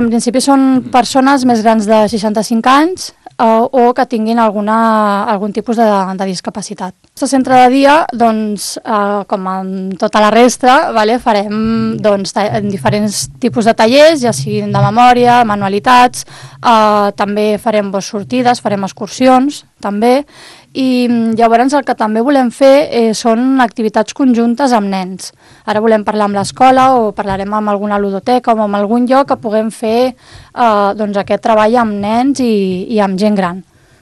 En principi són persones més grans de 65 anys o que tinguin algun tipus de discapacitat. El centre de dia, doncs, com en tota la resta, farem diferents tipus de tallers, ja siguin de memòria, manualitats, també farem sortides, farem excursions, també, i llavors el que també volem fer són activitats conjuntes amb nens. Ara volem parlar amb l'escola o parlarem amb alguna ludoteca o amb algun lloc que puguem fer aquest treball amb nens i amb gent gran.